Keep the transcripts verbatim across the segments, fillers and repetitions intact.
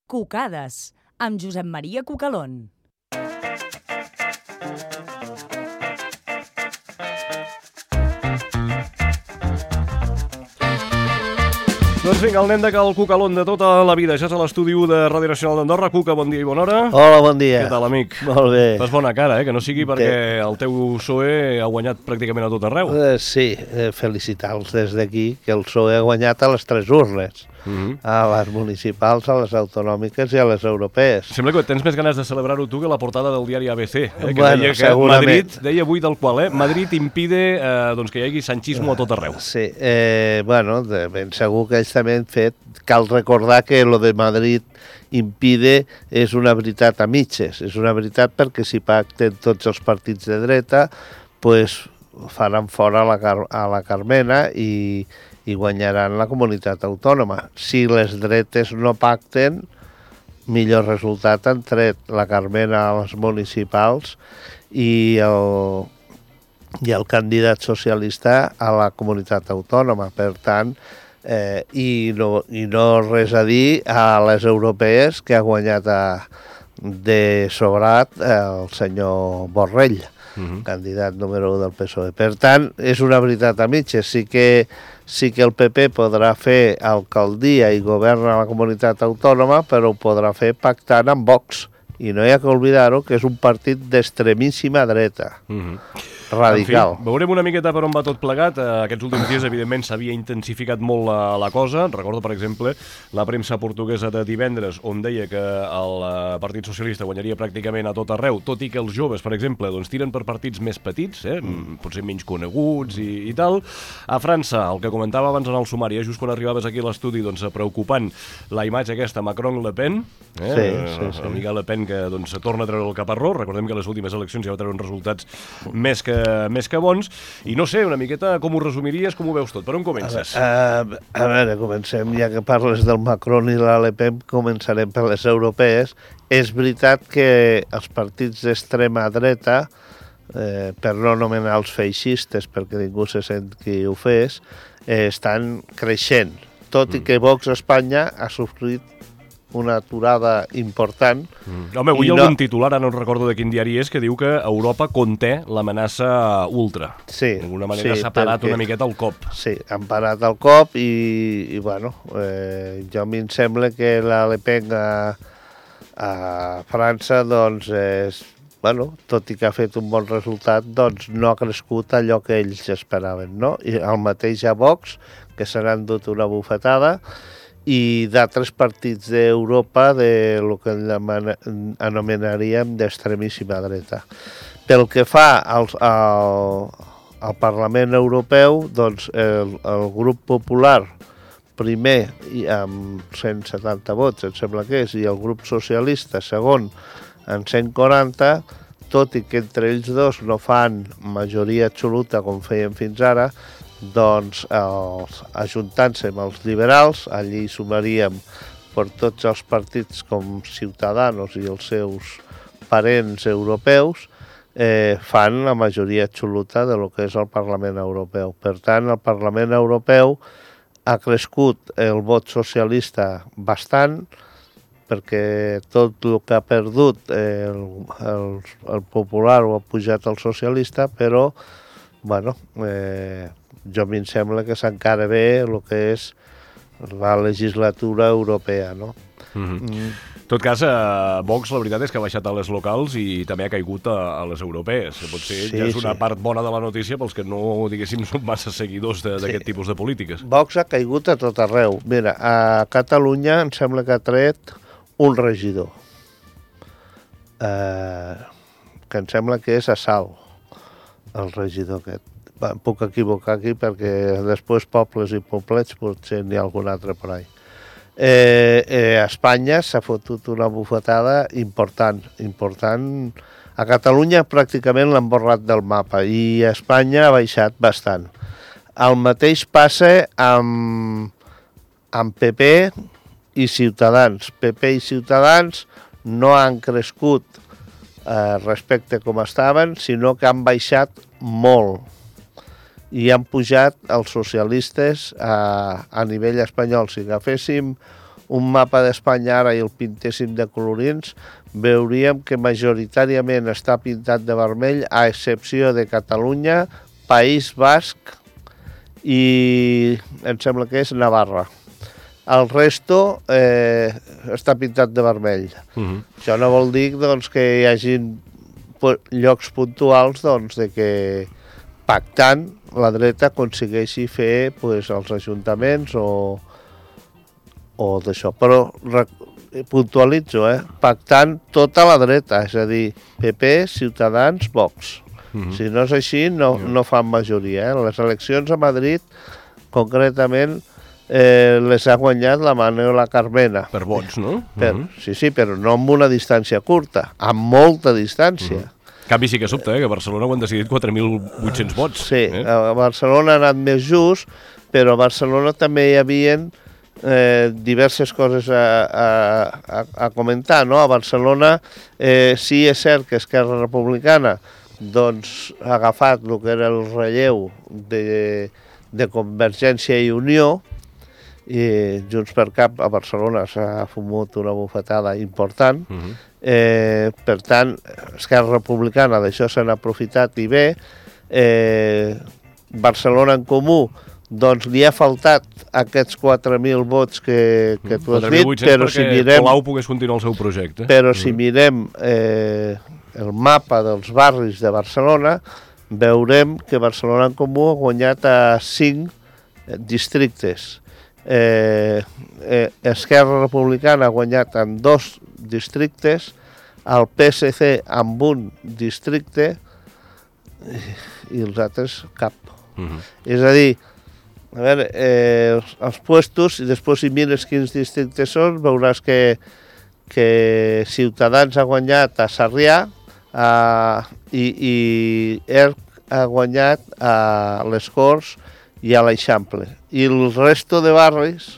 Cucades, amb Josep Maria Cucalón. Doncs vinga, el nen de Cal Cucalón de tota la vida. Ja és a l'estudi u de Ràdio Nacional d'Andorra. Cuca, bon dia i bona hora. Hola, bon dia. Què tal, amic? Molt bé. Fas bona cara, eh? Que no sigui perquè el teu P S O E ha guanyat pràcticament a tot arreu. Eh, sí, eh, felicitar-los des d'aquí, que el P S O E ha guanyat a les tres urnes. Uh -huh. A les municipals, a les autonòmiques i a les europees. Sembla que tens més ganes de celebrar-ho tu que la portada del diari A B C, eh? Que bueno, deia que segurament. Madrid, deia avui del qual, eh? Madrid impide eh, doncs que hi hagi sanchismo a tot arreu. Sí, eh, bueno, de ben segur que ells també han fet. Cal recordar que lo de Madrid impide és una veritat a mitges. És una veritat perquè si pacten tots els partits de dreta, pues faran fora la Car a la Carmena i i guanyaran la comunitat autònoma. Si les dretes no pacten, millor resultat han tret la Carmena a les municipals i el, i el candidat socialista a la comunitat autònoma. Per tant, eh, i, no, i no res a dir a les europees, que ha guanyat a, de sobrat el senyor Borrell, uh-huh. candidat número u del P S O E. Per tant, és una veritat a mitges. Sí que sí que el P P podrà fer alcaldia i governa la comunitat autònoma, però ho podrà fer pactant amb Vox. I no hi ha que oblidar-ho, que és un partit d'extremíssima dreta. Uh-huh. Radical. En fi, veurem una miqueta per on va tot plegat. Aquests últims dies, evidentment, s'havia intensificat molt la, la cosa. Recordo, per exemple, la premsa portuguesa de divendres, on deia que el Partit Socialista guanyaria pràcticament a tot arreu, tot i que els joves, per exemple, doncs, tiren per partits més petits, eh? mm. potser menys coneguts i, i tal. A França, el que comentava abans en el sumari, eh? just quan arribaves aquí a l'estudi, doncs, preocupant la imatge aquesta Macron-Le Pen, eh? sí, sí, sí. amiga Le Pen que doncs, torna a treure el caparró. Recordem que les últimes eleccions ja va treure uns resultats més que més que bons, i no sé, una miqueta com ho resumiries, com ho veus tot? Per on comences? A, a, a veure, comencem, ja que parles del Macron i la Le Pen, començarem per les europees. És veritat que els partits d'extrema dreta, eh, per no anomenar els feixistes, perquè ningú se sent qui ho fes, eh, estan creixent, tot mm. i que Vox a Espanya ha sofrit una aturada important. Mm. Home, avui hi ha no... algun titular, ara no recordo de quin diari és, que diu que Europa conté l'amenaça ultra. Sí. D'alguna manera sí, s'ha parat perquè... una miqueta el cop. Sí, han parat el cop i, i bueno, eh, jo a mi em sembla que la Le Pen a, a França, doncs, és, bueno, tot i que ha fet un bon resultat, doncs no ha crescut allò que ells esperaven, no? I el mateix a Vox, que se n'han dut una bufetada, i d'altres partits d'Europa de lo que anomenaríem d'extremíssima dreta. Pel que fa al, al, al Parlament Europeu, doncs el, el grup popular primer amb cent setanta vots, em sembla que és, i el grup socialista segon amb cent quaranta, tot i que entre ells dos no fan majoria absoluta com feien fins ara, doncs els, ajuntant-se amb els liberals, allí sumaríem per tots els partits com Ciutadanos i els seus parents europeus, eh, fan la majoria absoluta de lo que és el Parlament Europeu. Per tant, el Parlament Europeu ha crescut el vot socialista bastant, perquè tot el que ha perdut el, el, el popular ho ha pujat el socialista, però, bueno, eh, jo a mi em sembla que s'encara bé el que és la legislatura europea, no? Mm-hmm. Mm. En tot cas, eh, Vox, la veritat és que ha baixat a les locals i també ha caigut a, a les europees. Potser sí, ja és una sí. part bona de la notícia pels que no, diguéssim, són massa seguidors d'aquest sí. tipus de polítiques. Vox ha caigut a tot arreu. Mira, a Catalunya em sembla que ha tret un regidor, eh, que em sembla que és a Salt, el regidor aquest. Em puc equivocar aquí perquè després pobles i poblets potser n'hi ha algun altre per ahí. Eh, eh, a Espanya s'ha fotut una bufetada important, important. A Catalunya pràcticament l'han borrat del mapa i a Espanya ha baixat bastant. El mateix passa amb, amb P P i Ciutadans. P P i Ciutadans no han crescut eh, respecte com estaven, sinó que han baixat molt. I han pujat els socialistes a, a nivell espanyol. Si agaféssim un mapa d'Espanya ara i el pintéssim de colorins, veuríem que majoritàriament està pintat de vermell, a excepció de Catalunya, País Basc i em sembla que és Navarra. El resto eh, està pintat de vermell. Uh-huh. Això no vol dir doncs, que hi hagi llocs puntuals doncs, de que pactant la dreta aconsegueixi fer pues, els ajuntaments o, o d'això. Però puntualitzo, eh? Pactant tota la dreta, és a dir, P P, Ciutadans, Vox. Uh-huh. Si no és així, no, no fan majoria. Eh? Les eleccions a Madrid, concretament, Eh, les ha guanyat la Manuela Carmena. Per vots, no? Per, uh-huh. Sí, sí, però no amb una distància curta, amb molta distància. Uh-huh. En canvi sí que sobta, eh, que a Barcelona ho han decidit quatre mil vuit-cents vots. Sí, eh? a Barcelona ha anat més just, però a Barcelona també hi havia eh, diverses coses a, a, a comentar, no? A Barcelona eh, sí és cert que Esquerra Republicana doncs, ha agafat el que era el relleu de, de Convergència i Unió, i Junts per Cap a Barcelona s'ha fumut una bufetada important. Uh-huh. eh, per tant, Esquerra Republicana d'això se n'ha aprofitat i bé. eh, Barcelona en Comú doncs li ha faltat aquests quatre mil vots que, que tu has dit, però si mirem, Colau pogués continuar el seu projecte. Però si mirem eh, el mapa dels barris de Barcelona, veurem que Barcelona en Comú ha guanyat a cinc districtes. Eh, eh, Esquerra Republicana ha guanyat en dos districtes, el P S C amb un districte i, i els altres cap. Uh-huh. És a dir, a veure, eh, els, els puestos, i després si mires quins districtes són, veuràs que, que Ciutadans ha guanyat a Sarrià a, i, i ERC ha guanyat a les Corts i a l'Eixample. I el resto de barris,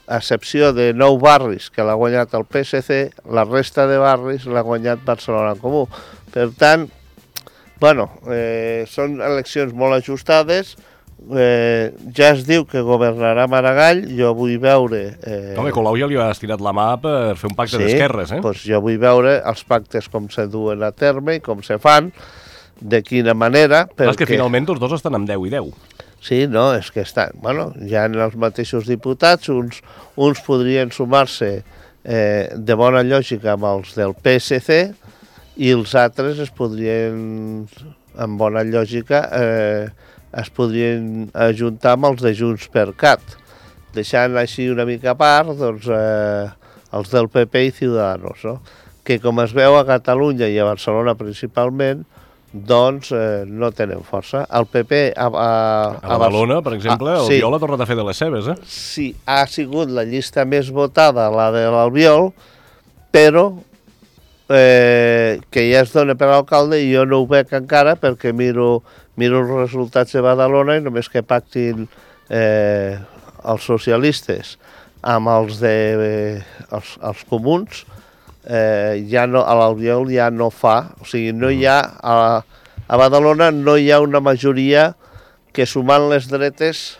a excepció de nou barris que l'ha guanyat el P S C, la resta de barris l'ha guanyat Barcelona en Comú. Per tant, bueno, eh, són eleccions molt ajustades, eh, ja es diu que governarà Maragall, jo vull veure... Eh... Home, Colau ja li ha estirat la mà per fer un pacte sí, d'esquerres, eh? Doncs jo vull veure els pactes com se duen a terme i com se fan, de quina manera... Perquè... És que finalment tots dos estan amb deu i deu. Sí, no, és que estan, bueno, ja en els mateixos diputats, uns, uns podrien sumar-se eh, de bona lògica amb els del P S C i els altres es podrien, amb bona lògica, eh, es podrien ajuntar amb els de Junts per Cat, deixant així una mica a part doncs, eh, els del P P i Ciudadanos, no? Que com es veu a Catalunya i a Barcelona principalment, doncs eh, no tenen força. El P P... A, a, a Badalona, per exemple, a, el sí, Albiol ha tornat a fer de les seves, eh? Sí, ha sigut la llista més votada, la de l'Albiol, però eh, que ja es dona per l'alcalde i jo no ho veig encara perquè miro, miro els resultats de Badalona i només que pactin eh, els socialistes amb els de eh, els, els comuns, Eh, ja no, a l'Albiol ja no fa, o sigui, no hi ha, a, a Badalona no hi ha una majoria que sumant les dretes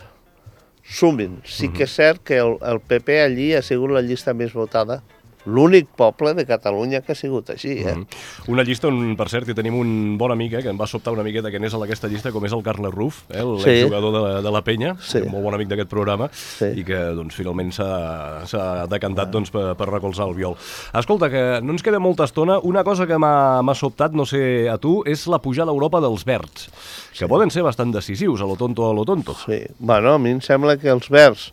sumin. Sí que és cert que el, el P P allí ha sigut la llista més votada, l'únic poble de Catalunya que ha sigut així. Eh? Mm-hmm. Una llista on, per cert, hi tenim un bon amic eh, que em va sobtar una miqueta que anés a aquesta llista, com és el Carles Ruf, eh, l'exjugador sí. de, de la Penya, sí. un molt bon amic d'aquest programa, sí. i que doncs, finalment s'ha decantat ah. doncs, per, per recolzar el Viol. Escolta, que no ens queda molta estona. Una cosa que m'ha sobtat, no sé a tu, és la pujada a Europa dels verds, que sí. poden ser bastant decisius, a lo tonto a lo tonto. Sí, bueno, a mi em sembla que els verds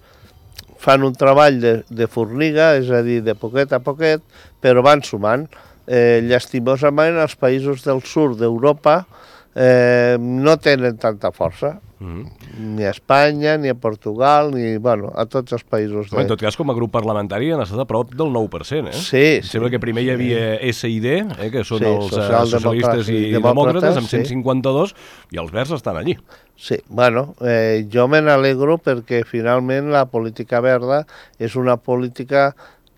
fan un treball de, de forniga, és a dir, de poquet a poquet, però van sumant. Eh, llastimosament, els països del sud d'Europa eh, no tenen tanta força. Mm-hmm. Ni a Espanya, ni a Portugal, ni bueno, a tots els països. De... En tot cas, com a grup parlamentari han estat a prop del nou per cent, eh? Sí, sí. Sembla que primer hi havia S I D, eh, que són sí, els socialistes i demòcrates, amb cent cinquanta-dos, sí. i els verds estan allí. Sí, bueno, eh, jo me n'alegro perquè finalment la política verda és una política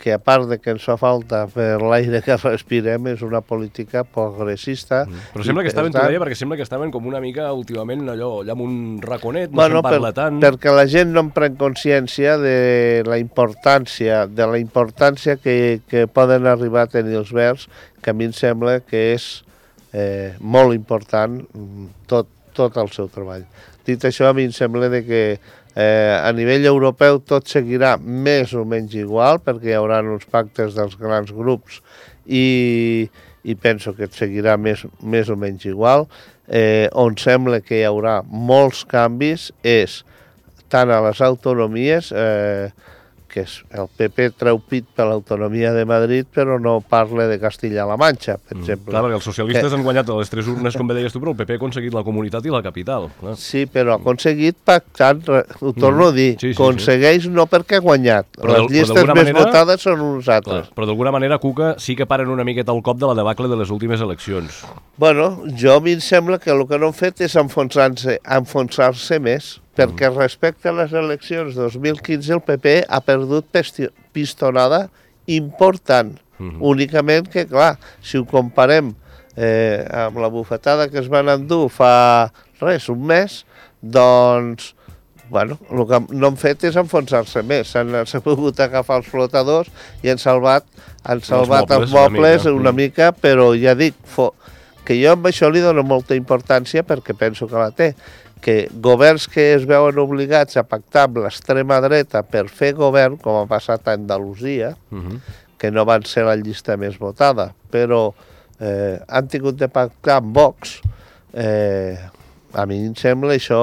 que a part de que ens fa falta per l'aire que respirem, és una política progressista. Mm. Però sembla que estaven, t'ho deia, perquè sembla que estaven com una mica últimament allò, allà amb un raconet, no bueno, se'n parla per, tant. Perquè la gent no en pren consciència de la importància, de la importància que, que poden arribar a tenir els verds, que a mi em sembla que és eh, molt important tot, tot el seu treball. Dit això, a mi em sembla de que Eh, a nivell europeu tot seguirà més o menys igual, perquè hi haurà uns pactes dels grans grups i, i penso que seguirà més, més o menys igual. Eh, on sembla que hi haurà molts canvis és tant a les autonomies, eh, que és, el P P treu pit per l'autonomia de Madrid, però no parla de Castilla-La Manxa, per mm, exemple. Clar, perquè els socialistes que... han guanyat a les tres urnes, com bé deies tu, però el P P ha aconseguit la comunitat i la capital. Clar. Sí, però ha aconseguit pactant, ho torno mm. a dir, sí, sí, aconsegueix sí. no perquè ha guanyat. Però les llistes més manera... votades són uns altres. Clar, però d'alguna manera, Cuca, sí que paren una miqueta el cop de la debacle de les últimes eleccions. Bueno, jo a mi em sembla que el que no han fet és enfonsar-se enfonsar-se més, perquè respecte a les eleccions dos mil quinze el P P ha perdut pistonada important. Uh-huh. Únicament que, clar, si ho comparem eh, amb la bufetada que es van endur fa res, un mes, doncs, bueno, el que no han fet és enfonsar-se més. S'han pogut agafar els flotadors i han salvat, han salvat els mobles, els mobles una, mica. una mica, però ja dic, fo, que jo amb això li dono molta importància perquè penso que la té, que governs que es veuen obligats a pactar amb l'extrema dreta per fer govern, com ha passat a Andalusia, uh-huh. que no van ser la llista més votada, però eh, han tingut de pactar amb Vox, eh, a mi em sembla això...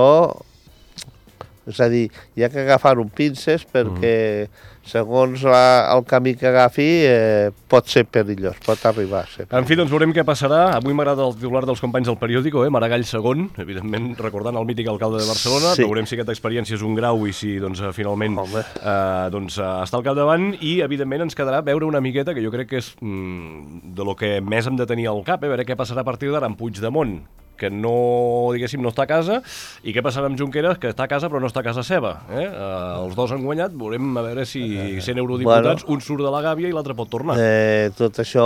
És a dir, hi ha que agafar un pinces perquè, uh-huh. segons la, el camí que agafi, eh, pot ser perillós, pot arribar a ser perillós. En fi, doncs veurem què passarà. Avui m'agrada el titular dels companys del periòdico, eh? Maragall segon, evidentment recordant el mític alcalde de Barcelona. Sí. Veurem si aquesta experiència és un grau i si doncs, finalment eh, doncs, està al capdavant. I, evidentment, ens quedarà veure una miqueta, que jo crec que és mm, de lo que més hem de tenir al cap, eh? A veure què passarà a partir d'ara amb Puigdemont, que no, diguéssim, no està a casa, i què passarà amb Junqueras, que està a casa però no està a casa seva. Eh? Eh, els dos han guanyat, veurem a veure si sent eurodiputats, bueno, un surt de la gàbia i l'altre pot tornar. Eh, tot això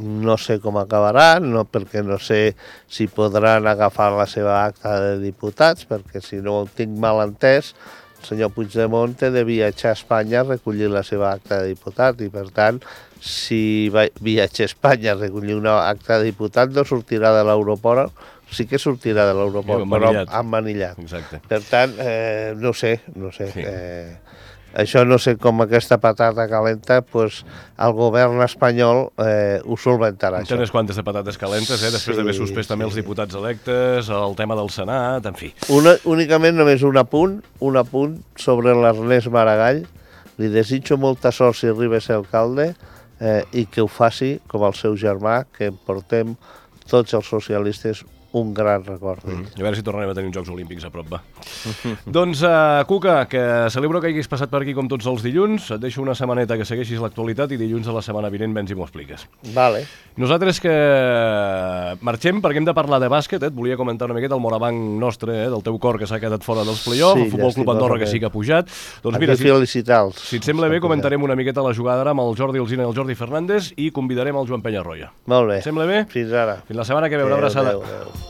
no sé com acabarà, no, perquè no sé si podran agafar la seva acta de diputats, perquè si no ho tinc mal entès, el senyor Puigdemont té de viatjar a Espanya a recollir la seva acta de diputat, i per tant, si viatja a Espanya a recollir una acta de diputat, no sortirà de l'aeroport, sí que sortirà de l'aeroport, sí, però emmanillat. Exacte. Per tant, eh, no sé, no sé. Sí. Eh, això no sé com aquesta patata calenta, pues, el govern espanyol eh, ho solventarà. Té unes quantes de patates calentes, eh? Després sí, d'haver suspès sí. també els diputats electes, el tema del Senat, en fi. Una, únicament només un apunt, un apunt sobre l'Ernest Maragall. Li desitjo molta sort si arriba a ser alcalde eh, i que ho faci com el seu germà, que en portem tots els socialistes un gran record d'ell. Mm. A veure si tornarem a tenir uns Jocs Olímpics a prop, va. Doncs, uh, Cuca, que celebro que hagis passat per aquí com tots els dilluns. Et deixo una setmaneta que segueixis l'actualitat i dilluns de la setmana vinent vens i m'ho expliques. Vale. Nosaltres que marxem perquè hem de parlar de bàsquet, eh? Et volia comentar una miqueta el morabanc nostre, eh? Del teu cor, que s'ha quedat fora dels play-offs, sí, el Futbol Club Andorra, que sí que ha pujat. Doncs mira, si, si et sembla bé, comentarem una miqueta la jugada ara amb el Jordi Alsina i el Jordi Fernández i convidarem el Joan Penyarroia. Molt bé. Et sembla bé? Fins ara. Fins la setmana que ve, una abraçada. Adéu, adéu.